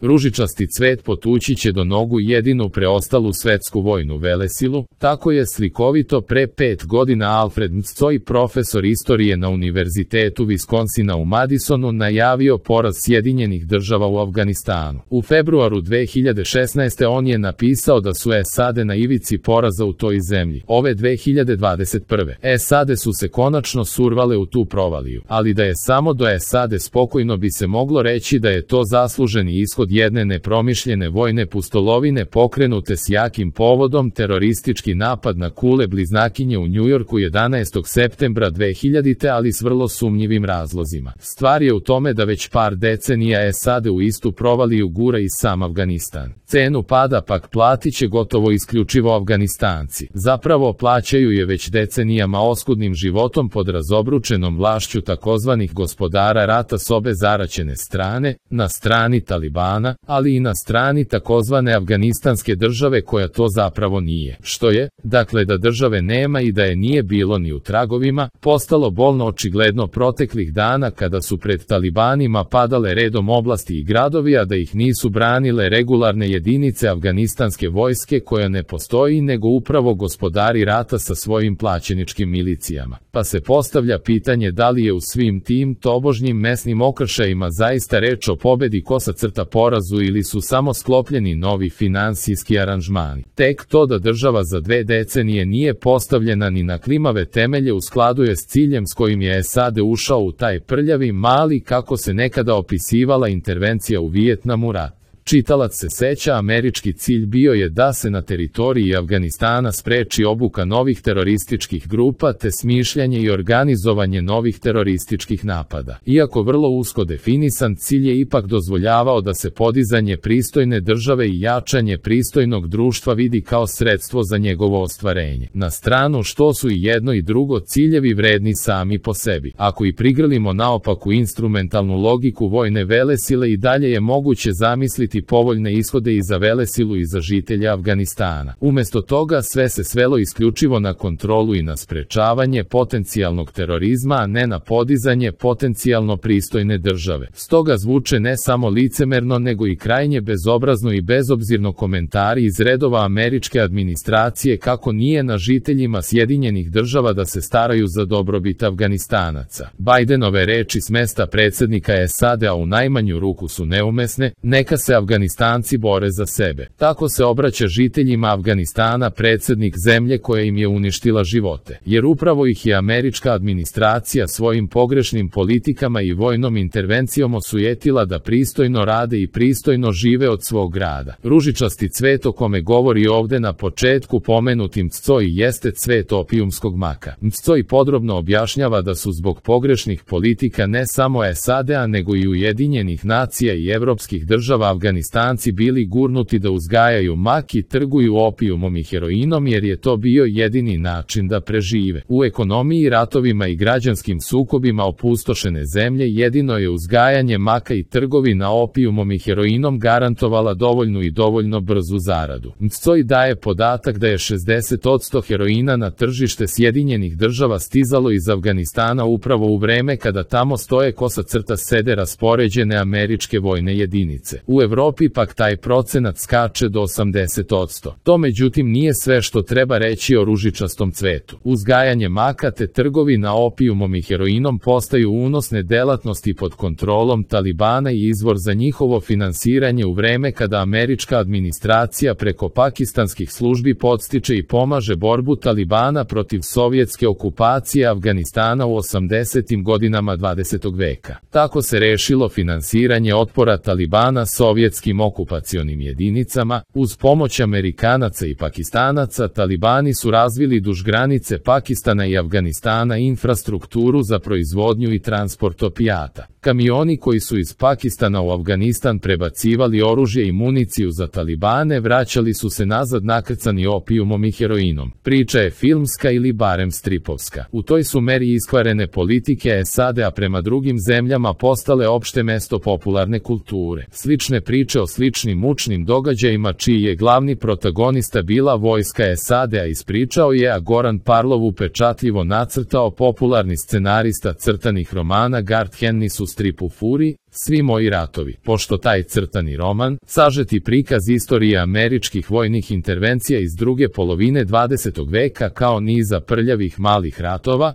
Ružičasti cvet potući će do nogu jedinu preostalu svetsku vojnu velesilu, tako je slikovito pre 5 godina Alfred Mccoy, profesor istorije na Univerzitetu Viskonsina u Madisonu, najavio poraz Sjedinjenih država u Afganistanu. U februaru 2016. on je napisao da su SAD na ivici poraza u toj zemlji. Ove 2021. SAD su se konačno survale u tu provaliju, ali da je samo do SAD spokojno bi se moglo reći da je to zasluženi ishod jedne nepromišljene vojne pustolovine pokrenute s jakim povodom, teroristički napad na kule bliznakinje u Njujorku 11. septembra 2000. ali s vrlo sumnjivim razlozima. Stvar je u tome da već par decenija SAD u istu provaliju gura i sam Afganistan. Cenu pada pak platit će gotovo isključivo Afganistanci. Zapravo plaćaju je već decenijama oskudnim životom pod razobručenom vlašću takozvanih gospodara rata s obe zaraćene strane, na strani Talibana, ali i na strani takozvane Afganistanske države koja to zapravo nije. Što je, dakle, da države nema i da je nije bilo ni u tragovima, postalo bolno očigledno proteklih dana kada su pred Talibanima padale redom oblasti i gradovi, a da ih nisu branile regularne jedinice afganistanske vojske koja ne postoji nego upravo gospodari rata sa svojim plaćeničkim milicijama. Pa se postavlja pitanje da li je u svim tim tobožnjim mesnim okršajima zaista reč o pobedi kosa crta porazu ili su samo sklopljeni novi finansijski aranžmani. Tek to da država za 2 decenije nije postavljena ni na klimave temelje u skladu je s ciljem s kojim je SAD ušao u taj prljavi mali, kako se nekada opisivala, intervencija u Vijetnamu rat. Čitalac se seća, američki cilj bio je da se na teritoriji Afganistana spreči obuka novih terorističkih grupa te smišljanje i organizovanje novih terorističkih napada. Iako vrlo usko definisan, cilj je ipak dozvoljavao da se podizanje pristojne države i jačanje pristojnog društva vidi kao sredstvo za njegovo ostvarenje. Na stranu što su i jedno i drugo ciljevi vredni sami po sebi. Ako i prigrlimo naopaku instrumentalnu logiku vojne velesile, i dalje je moguće zamisliti povoljne ishode i za velesilu i za žitelja Afganistana. Umesto toga sve se svelo isključivo na kontrolu i na sprečavanje potencijalnog terorizma, a ne na podizanje potencijalno pristojne države. Stoga zvuče ne samo licemerno nego i krajnje bezobrazno i bezobzirno komentari iz redova američke administracije kako nije na žiteljima Sjedinjenih država da se staraju za dobrobit Afganistanaca. Bajdenove reči s mesta predsjednika SAD-a u najmanju ruku su neumesne, neka se Afganistanci bore za sebe. Tako se obraća žiteljima Afganistana predsjednik zemlje koja im je uništila živote. Jer upravo ih je američka administracija svojim pogrešnim politikama i vojnom intervencijom osujetila da pristojno rade i pristojno žive od svog rada. Ružičasti cvet o kome govori ovde na početku pomenuti Mccoy jeste cvet opijumskog maka. Mccoy podrobno objašnjava da su zbog pogrešnih politika ne samo SAD-a nego i Ujedinjenih nacija i evropskih država Afganistanci bili gurnuti da uzgajaju mak i trguju opijumom i heroinom jer je to bio jedini način da prežive. U ekonomiji, ratovima i građanskim sukobima opustošene zemlje jedino je uzgajanje maka i trgovina opijumom i heroinom garantovala dovoljnu i dovoljno brzu zaradu. Mccoy daje podatak da je 60% heroina na tržište Sjedinjenih država stizalo iz Afganistana upravo u vreme kada tamo stoje kosa crta sede raspoređene američke vojne jedinice. U Evropi pak taj procenat skače do 80%. To međutim nije sve što treba reći o ružičastom cvetu. Uzgajanje maka te trgovina opijumom i heroinom postaju unosne delatnosti pod kontrolom Talibana i izvor za njihovo finansiranje u vreme kada američka administracija preko pakistanskih službi podstiče i pomaže borbu Talibana protiv sovjetske okupacije Afganistana u 80. godinama 20. veka. Tako se rešilo finansiranje otpora Talibana sovjetskim okupacionim jedinicama. Uz pomoć Amerikanaca i Pakistanaca, Talibani su razvili duž granice Pakistana i Afganistana infrastrukturu za proizvodnju i transport opijata. Kamioni koji su iz Pakistana u Afganistan prebacivali oružje i municiju za Talibane vraćali su se nazad nakrcani opijumom i heroinom. Priča je filmska ili barem stripovska. U toj su meri iskvarene politike SAD-a prema drugim zemljama postale opšte mesto popularne kulture. Slične priče o sličnim mučnim događajima čiji je glavni protagonista bila vojska SAD-a ispričao je, a Goran Parlov upečatljivo nacrtao popularni scenarista crtanih romana Garth Ennis u stripu Fury, Svi moji ratovi. Pošto taj crtani roman, sažeti prikaz istorije američkih vojnih intervencija iz druge polovine 20. veka kao niza prljavih malih ratova,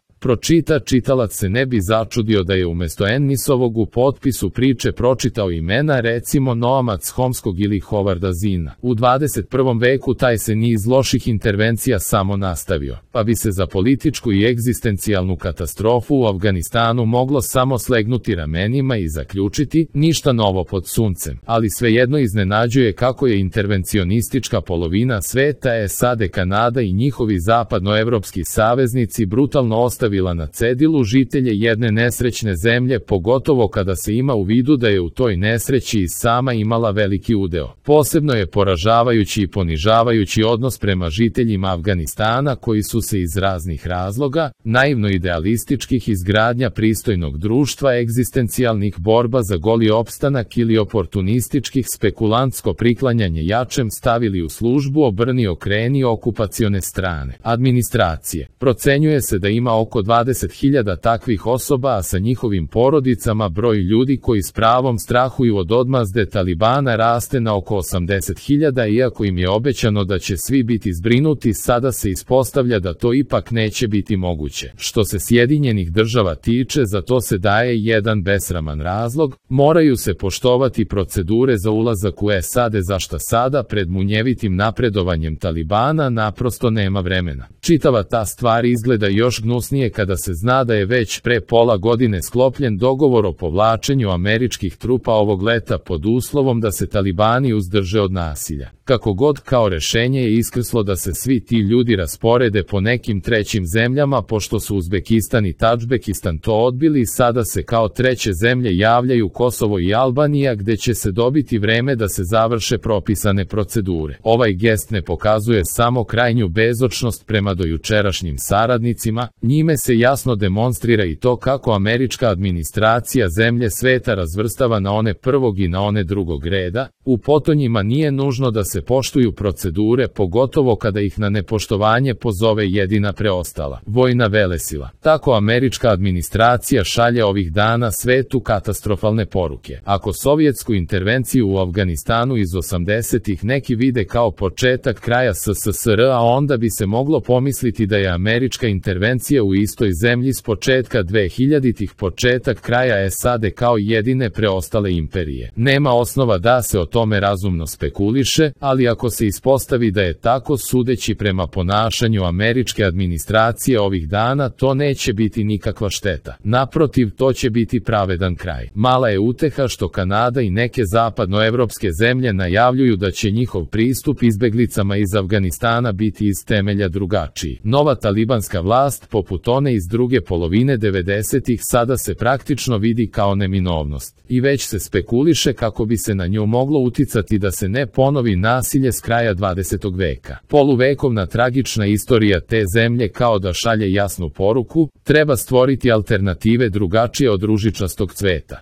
čitalac se ne bi začudio da je umesto Ennisovog u potpisu priče pročitao imena recimo Noama Chomskog ili Howarda Zina. U 21. veku taj se niz loših intervencija samo nastavio, pa bi se za političku i egzistencijalnu katastrofu u Afganistanu moglo samo slegnuti ramenima i zaključiti ništa novo pod suncem, ali svejedno iznenađuje kako je intervencionistička polovina sveta SAD, Kanada i njihovi zapadnoevropski saveznici brutalno ostavila na cedilu žitelje jedne nesrećne zemlje, pogotovo kada se ima u vidu da je u toj nesreći i sama imala veliki udeo. Posebno je poražavajući i ponižavajući odnos prema žiteljima Afganistana koji su se iz raznih razloga, naivno idealističkih izgradnja pristojnog društva, egzistencijalnih borba za goli opstanak ili oportunističkih spekulantsko priklanjanje jačem stavili u službu obrni okreni okupacione strane administracije. Procenjuje se da ima oko 20.000 takvih osoba, a sa njihovim porodicama broj ljudi koji s pravom strahuju od odmazde Talibana raste na oko 80.000, iako im je obećano da će svi biti zbrinuti, sada se ispostavlja da to ipak neće biti moguće. Što se Sjedinjenih država tiče, za to se daje jedan besraman razlog, moraju se poštovati procedure za ulazak u SAD, za šta sada pred munjevitim napredovanjem Talibana naprosto nema vremena. Čitava ta stvar izgleda još gnusnije kada se zna da je već pre pola godine sklopljen dogovor o povlačenju američkih trupa ovog leta pod uslovom da se Talibani uzdrže od nasilja. Kako god, kao rešenje je iskrslo da se svi ti ljudi rasporede po nekim trećim zemljama, pošto su Uzbekistan i Tadžbekistan to odbili. Sada se kao treće zemlje javljaju Kosovo i Albanija, gde će se dobiti vreme da se završe propisane procedure. Ovaj gest ne pokazuje samo krajnju bezočnost prema dojučerašnjim saradnicima, njime se jasno demonstrira i to kako američka administracija zemlje sveta razvrstava na one prvog i na one drugog reda. U potonjima nije nužno da se poštuju procedure, pogotovo kada ih na nepoštovanje pozove jedina preostala vojna velesila. Tako američka administracija šalje ovih dana svetu katastrofalne poruke. Ako sovjetsku intervenciju u Afganistanu iz 80-ih neki vide kao početak kraja SSSR-a, onda bi se moglo pomisliti da je američka intervencija u istoj zemlji s početka 2000-ih početak kraja SAD kao jedine preostale imperije. Nema osnova da se o tome razumno spekuliše, ali ako se ispostavi da je tako, sudeći prema ponašanju američke administracije ovih dana, to neće biti nikakva šteta. Naprotiv, to će biti pravedan kraj. Mala je uteha što Kanada i neke zapadnoevropske zemlje najavljuju da će njihov pristup izbeglicama iz Afganistana biti iz temelja drugačiji. Nova talibanska vlast, poput one iz druge polovine 90-ih, sada se praktično vidi kao neminovnost. I već se spekuliše kako bi se na nju moglo uticati da se ne ponovi nasilje s kraja 20. veka. Poluvekovna tragična istorija te zemlje kao da šalje jasnu poruku, treba stvoriti alternative drugačije od ružičastog cveta.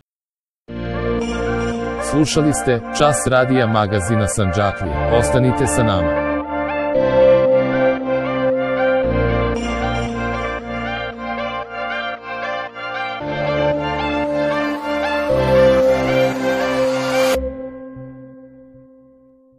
Slušali ste Čas radija magazina Sandžaklija. Ostanite sa nama.